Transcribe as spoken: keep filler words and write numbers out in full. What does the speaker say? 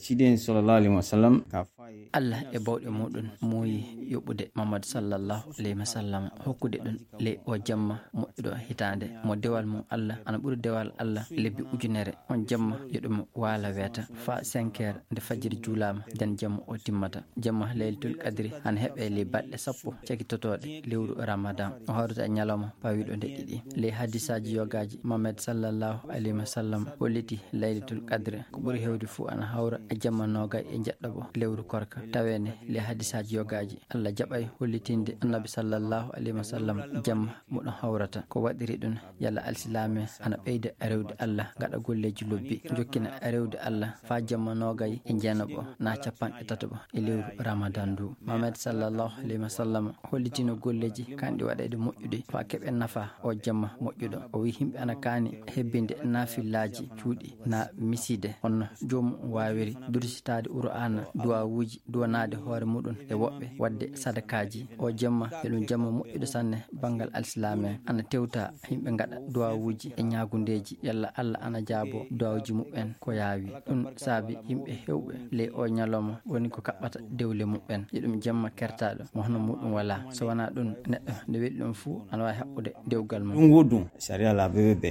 Tiden sallallahu alaihi wasallam ka faye. Allah e bawɗe muɗum muuyi yoɓude Muhammad sallallahu alaihi wasallam, hokkude ɗum ley o jamma moƴƴuɗo hitaande mo dewal mum Allah ana ɓuri dewal Allah lebbi ujunere. On jamma yo ɗum waala weeta faa cinq heures nde fajiri juulaama, nden jamma o timmata. Jamma Laylatul Qadri ana heɓe ley baɗɗe sappo cakitotooɗe lewru Ramadan. O hawrata e ñalawma pawiiɗo nde ɗiɗi. Ley hadisaaji yogaaji, Muhammad sallallahu alaihi wasallam holliti Laylatul Qadri ko ɓuri heewde fuu ana hawra e jamma noogay e njeɗɗaɓo lewru korka. Taweene ley hadisaaji yogaaji, Allah jaɓay hollitinde Annabi sallallahu alaihi wasallam jamma mo ɗum hawrata. Ko waɗiri ɗum, yalla alsilaame ana ɓeyda rewde Allah, gaɗa golleeji lobbi, jokkina rewde Allah faa jamma noogay e jeenaɓo naa capanɗe tataɓo e lewru Ramadan ndu. Muhammad sallallahu alaihi wasallam hollitino golleeji kanɗi waɗayde moƴƴude faa keɓen nafa o jamma moƴƴuɗo. O wi'i yimɓe ana kaani hebbinde naafilaaji cuuɗi naa misiide, honno joomum waawiri, dursitaade Qur'aana, duwaawuuji, duwanaade hoore muɗum e woɓɓe, waɗde sadakaaji. O jamma yo ɗum jamma moƴƴuɗo sanne banngal alsilaame. Ana tewta yimɓe ngaɗa duwaawuuji e ñaagundeeji, yalla Allah ana jaabo duwaawuuji muɓɓen ko yaawi. Ɗum saabi yimɓe heewɓe ley o ñalawma woni ko kaɓɓata dewle muɓɓen. Yo ɗum jamma kertaaɗo mo hono muɗum walaa. So wanaa ɗum, neɗɗo nde weli ɗum fuu ana waawi haɓɓude dewgal mum. Ɗum woɗɗum, sariya laaɓuɓe ɓe.